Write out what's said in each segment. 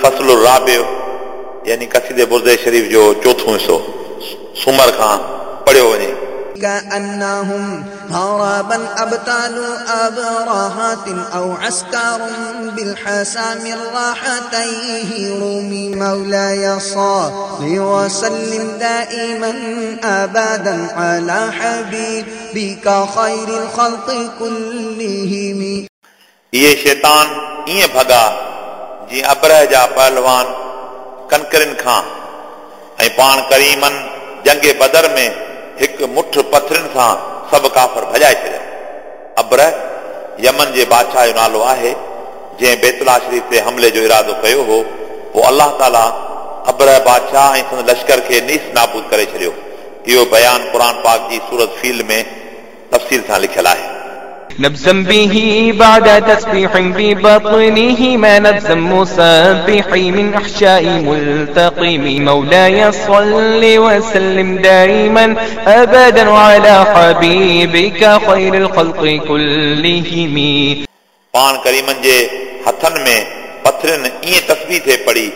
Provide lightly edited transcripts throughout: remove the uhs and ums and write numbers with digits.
الفصل الرابع يعني قصيدي بردي شريف جو چوٿون حصو سومر کان پڙهيو وڃي. كأنهم هربا أبطال أبرهات أو عسكر بالحسام الراحتيه رمي. مولاي صل وسلم دائما أبدا على حبيبك خير الخلق كلهم. इहे शैतान ईअं भॻा जीअं अबरह जा पहलवान कनकरिन खां ऐं पाण करीमनि जंग बदर में हिकु मुठ पथरनि सां सभु काफ़र भॼाए छॾिया। अबरह यमन जे बादशाह जो नालो आहे जंहिं बैतुला शरीफ़ ते हमले जो इरादो कयो हो। पोइ अलाह ताला अबरह बादशाह ऐं संदसि लश्कर खे नीस नाबूद करे छॾियो। इहो बयान क़ुर पाक जी सूरत फील में तफ़सील सां लिखियलु आहे। نبزا به بعد تسبيح ببطنه ما نبزا مسبح من أحشاء ملتقم. مولاي صل وسلم دائما أبدا على حبيبك خير الخلق كلهم. पाण करीमनि जे हथनि में पथरनि ईअं तस्बीह थिए पढ़ी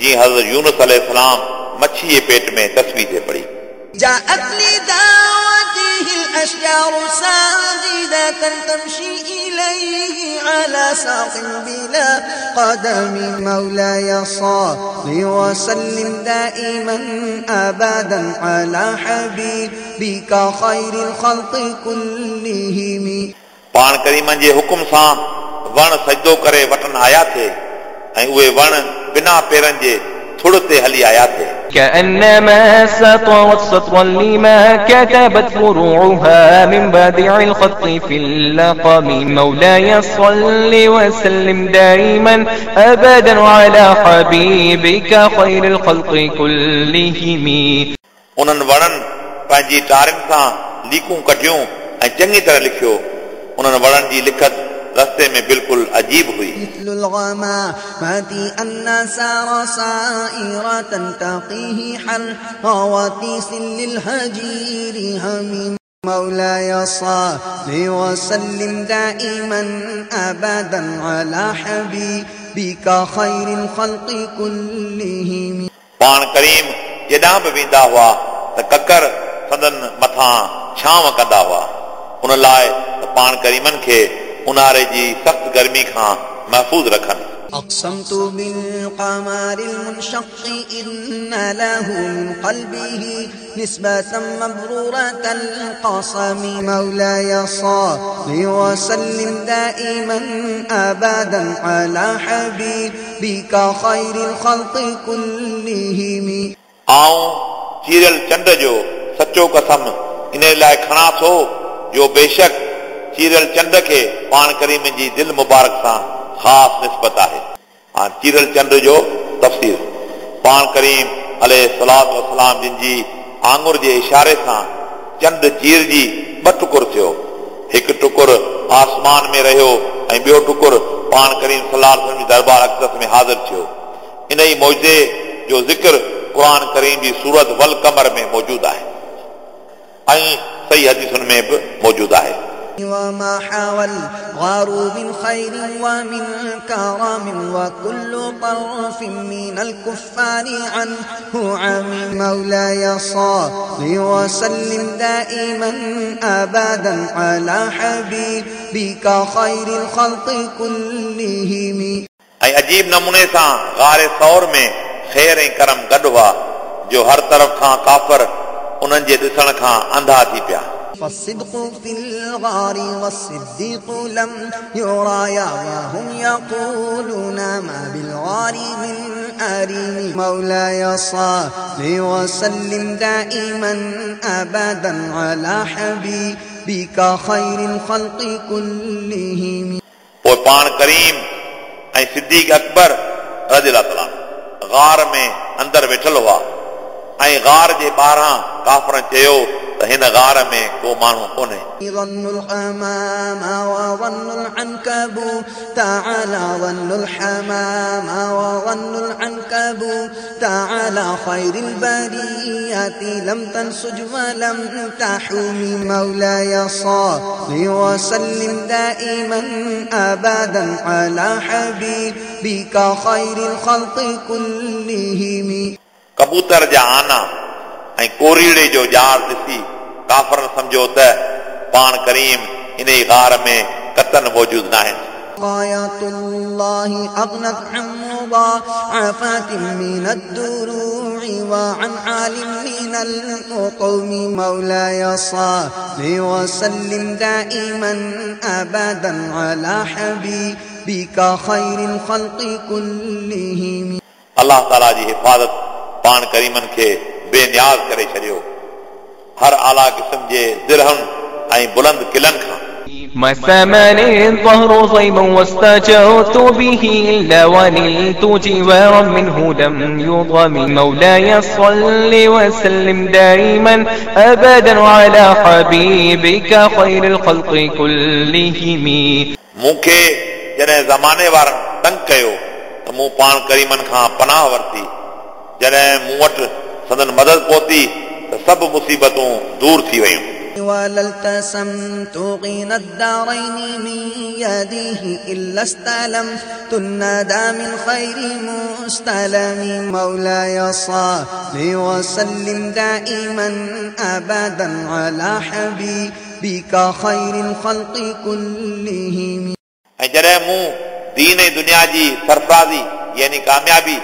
जीअं हज़रत यूनुस अलैहिस्सलाम मच्छी जे पेट में तस्बीह थिए पढ़ी। جاءت لدعوته الأشجار ساجدة تمشي إليه على ساق بلا قدم. مولاي صل وسلم دائما أبدا على حبيبك خير الخلق كلهم. पाण करीमनि जे हुकुम सां वण सजदो करे वटनि आया थे ऐं उहे वण बिना पेरनि जे थुड़ ते हली आया थे। كأنما سطرت سطرا لما كتبت فروعها من بديع الخط في اللقم. مولاي صل وسلم دائما أبدا على حبيبك خير الخلق كلهم. उन्हनि वणनि पंहिंजी टारियुनि सां लीकूं कढियूं ऐं चङी तरह लिखियो। उन्हनि वणनि जी लिखत रस्ते में बिल्कुलु अजीब हुई। مثل الغمامة أن سار سائرة تقيه حر وتيس للهجير هميم. مولاي صل وسلم دائما أبدا على حبيبك خير الخلق كلهم. पाण करीम जेॾां बि वेंदा हुआ त ककर संदन मथां छांव कंदा हुआ, उन लाइ त पाण करीमनि खे उन्हारे जी सख़्तु गर्मी खां महफ़ूज़ रखनि। أقسمت بالقمر المنشق إن له من قلبه نسبة مبرورة القسم. مولاي صل وسلم دائما أبدا على حبيبك خير الخلق كلهم. आऊं चीरियल चंड जो सचो कसम इन लाइ खणा थो जो बेशक चीरियल चंड खे पाण करीम जी दिलि मुबारक सां ख़ासि निस्बत आहे। हा, चीरियल चंड जो तफ़सीर पाण करीम अलैहि सलात वसलाम जिन जी आङुर जे इशारे सां चंड चीरजी ॿ टुकुर थियो। हिकु टुकुर आसमान में रहियो ऐं ॿियो टुकुर पाण करीम सलाह जी दरबार अक़दस में हाज़िर थियो। इन ई मौजे जो ज़िक्र क़ुर करीम जी सूरत वल कमर में मौजूदु आहे ऐं सही हदीसुनि में बि मौजूदु आहे। وما حوى الغار من خير ومن كرم وكل طرف من الكفار عنه عم. مولاي صل وسلم دائما أبدا على حبيبك خير الخلق كلهم. ऐं अजीब नमूने सां गार सौर में ख़ैर ऐं करम गॾु हुआ जो हर तरफ़ खां काफ़र उन्हनि जे ॾिसण खां अंधा थी पिया। فالصدق في الغار والصديق لم يرايا وهم يقولون ما بالغار من أريم. مولاي صل وسلم دائما أبدا على حبيبك خير الخلق كلهم. पोइ पाण करीम ऐं सिद्दीक अकबर रज़ी अल्लाह तआला गार में अंदरि वेठल हुआ ऐं गार जे ॿाहिरां काफ़रनि चयो त त हिन गार में को माण्हू कोन्हे। ظن الحمام وظن العنكبوت على ظن الحمام وظن العنكبوت على خير البرية لم تنسج ولم تحم. مولاي صل وسلم دائما أبدا على حبيبك خير الخلق كلهم. कबूतर जा आना ऐं कोरीड़े जो ॼार ॾिसी काफ़रनि सम्झो त पाण करीम इन ई गार में कतन मौजूद न आहिनि। آيات الله أغنت عن مضاعفات من الدروع وعن عال من الأطم. مولاي صل وسلم دائما أبدا على حبيبك خير الخلق كلهم. अलाह ताला जी हिफ़ाज़त पाण करीमनि खे बेनियाज़ करे छॾियो हर आला क़िस्म जे ज़िरहनि ऐं बुलंद किलनि खां। ما سامني الظهر ضيما واستجرت به إلا ونلت جوارا منه لم يضم. مولاي صل وسلم دائما أبدا على حبيبك خير الخلق كلهم. मूंखे जॾहिं ज़माने वारनि तंग कयो त मूं पाण करीमनि खां पनाह वरिती, जॾहिं मूं वटि संदन मदद पहुती त सभु मुसीबतूं दूर थी वयूं। ولا التسمت غنى الدارين من يده إلا استلمت الندى من خير مستلم. مولاي صل وسلم دائما أبدا على حبيبك خير الخلق كلهم. ऐं जॾहिं मूं दीन ऐं दुनिया जी सरफ़राज़ी यानी कामयाबी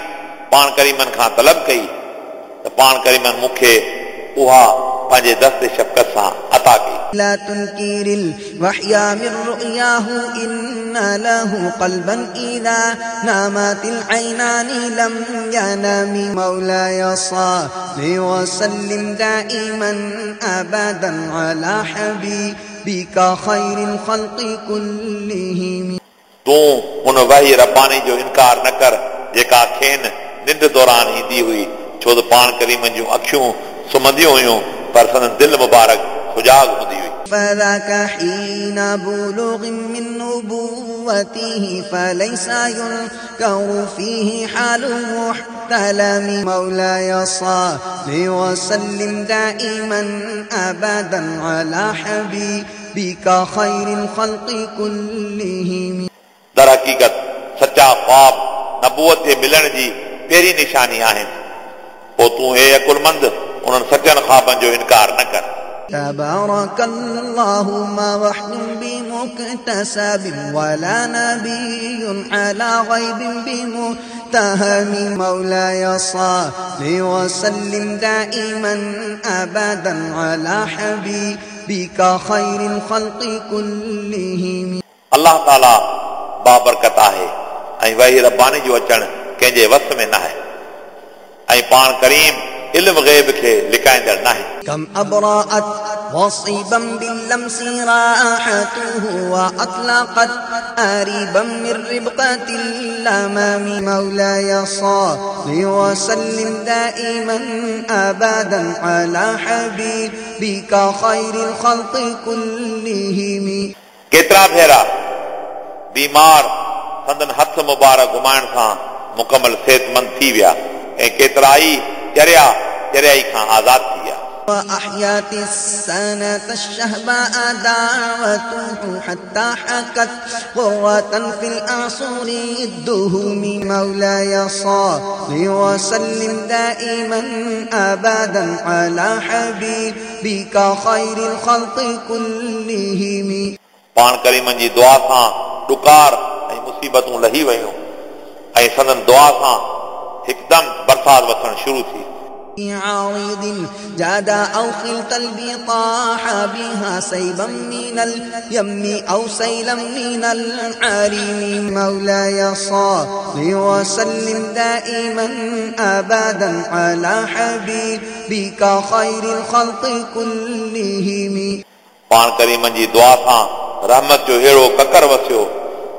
पाण करीमनि खां तलब कई त पाण करीमनि मूंखे उहा पंहिंजे दस्त शफ़क़त सां अता कई। لا تنكر الوحي من رؤياه إن له قلبا إذا نامت العينان لم ينم. مولاي صل وسلم دائما أبدا على حبيبك خير الخلق كلهم. तूं उन वही रबानी जो इनकार न कर जेका खेनि निंड दौरान ईंदी हुई, छो त पाण करीमनि जूं अखियूं सुम्हंदियूं हुयूं पर संदन दिलि मुबारक सुजाग हूंदी हुई। فذاك حين بلوغ من نبوته فليس ينكر فيه حال محتلم. مولاي صل وسلم دائما أبدا على حبيبك خير الخلق كلهم. दर हक़ीक़त सचा ख़्वाब नबूअत जे मिलण जी पहिरीं निशानी आहिनि, पोइ तूं हे अकुलमंद उन्हनि सचनि ख़्वाबनि जो इनकार न कर। تبارك الله ما وحي بمكتسب ولا نبي على غيب بمتهم. مولاي صل وسلم دائما أبدا على حبيبك خير الخلق كلهم. अलाह ताला बाबरकत आहे ऐं वही रबानी जो अचणु कंहिंजे वस में न आहे ऐं पाण करीम इल्म ग़ैब खे लिकाईंदड़ न आहे। كم أبرأت وصيبا باللمس راحته وأطلقت آريبا من ربقة الأمام. مولاي صل وسلم دائما أبدا على حبيبك خير الخلق كلهم. केतिरा भेरा बीमार संदन हथ मुबारक घुमाइण सां मुकमल सिहतमंद थी विया ऐं केतिरा ई चरिया चरियाई खां आज़ाद थी विया। وأحيت السنة الشهباء دعوته حتى حكت غرة في الأعصر الدهم. مولاي صل وسلم دائما أبدا على حبيبك خير الخلق كلهم. पाण करीमनि जी दुआ सां ॾुकार ऐं मुसीबतूं लही वयूं ऐं संदन दुआ सां हिकदमि बरसाति वसणु शुरू थी। عارض جاد أو خلت البطاح بها سيبا من اليم أو سيلا من العريم. مولاي صل وسلم دائما أبدا على حبيبك خير الخلق كلهم. पाण करीमनि जी दुआ सां रहमत जो अहिड़ो ककर वसियो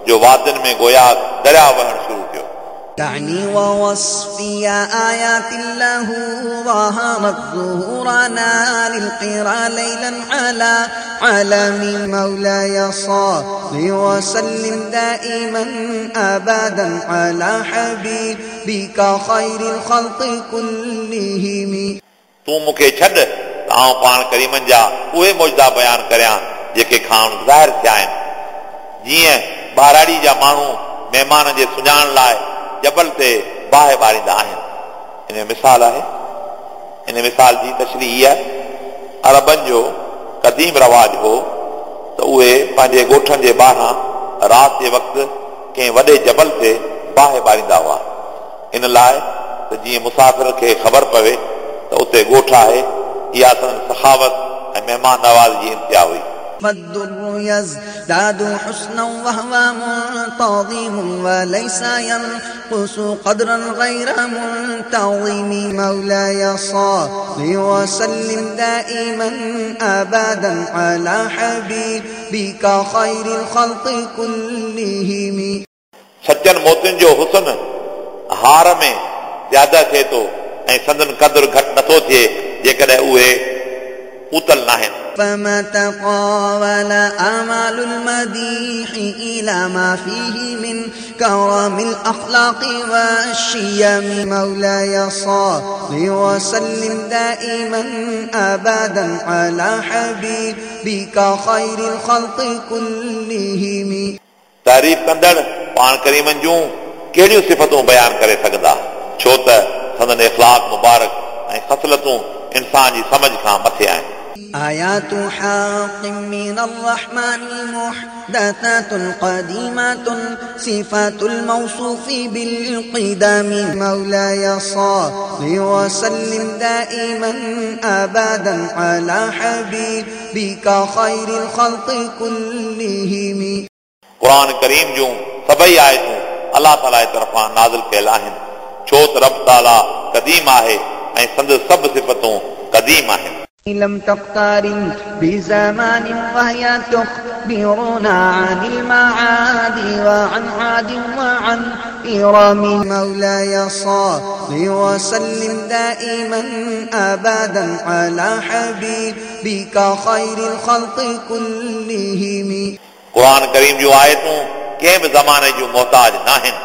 जो वादियुनि में गोया दरिया वहणु शुरू थियो। دعني ووصفي آيات له ظهرت ظهورنا للقرى ليلا على علم. مولاي صل وسلم دائما أبدا على حبيبك خير الخلق كلهم. तूं मूंखे छॾ त आउं पाण करीमनि जा उहे मुइज़ा बयानु करियां जेके खाउनि ज़ाहिर थिया आहिनि। जीअं ॿाराड़ी जा माण्हू महिमान जे सुञाणण लाइ जबल ते बाहि ॿारींदा आहिनि। इन मिसाल आहे, इन मिसाल जी तशरीह इहा आहे, अरबनि जो क़दीम रवाज हो त उहे पंहिंजे ॻोठनि जे ॿाहिरां राति जे वक़्तु कंहिं वॾे जबल ते बाहि ॿारींदा हुआ, इन लाइ त जीअं मुसाफ़िर खे ख़बर पवे त उते ॻोठ आहे। इहा संदन सखावत ऐं महिमान नवाज़ जी इंतिहा हुई। فالدر يزداد حسنا وهو منتظم وليس ينقص قدرا غير منتظم. مولاي صل وسلم دائما أبدا على حبيبك خير الخلق كلهم. सचनि मोतियुनि जो हुस्न हार में ज़्यादा थिए थो ऐं संदन क़दुरु घटि नथो थिए जेकॾहिं उहे ऊतल नाहिनि। فما تطاول آمال المديح إلى ما فيه من كرم الأخلاق والشيم. مولاي صل وسلم دائما أبدا على حبيبك خير الخلق كلهم. तारीफ़ कंदड़ पाण करीमनि जूं कहिड़ियूं सिफ़तूं बयानु करे सघंदा, छो त संदन इख़लाक मुबारक ऐं ख़सलतूं इंसान जी सम्झ खां मथे आहिनि। آيات حق من الرحمن محدثات قديمة صفات الموصوف بالقدم. مولاي صل وسلم دائما أبدا على حبيبك خير الخلق كلهم. क़ुर करीम जूं सभई आयतूं अलाह ताला जे तरफ़ां नाज़िल कयल आहिनि, छो त रब ताला क़दीम आहे ऐं संदसि सभु सिफ़तूं क़दीम आहिनि। لم تقترن بزمان وهي تخبرنا عن المعاد وعن عاد وعن إرم. مولاي صل وسلم دائما أبدا على حبيبك خير الخلق كلهم. क़ुर करीम जूं आयतूं कंहिं बि ज़माने जूं मोहताज नाहिनि।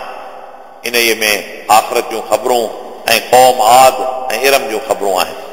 इन में आख़िरत जूं ख़बरूं ऐं क़ौम आद ऐं इरम जूं ख़बरूं आहिनि।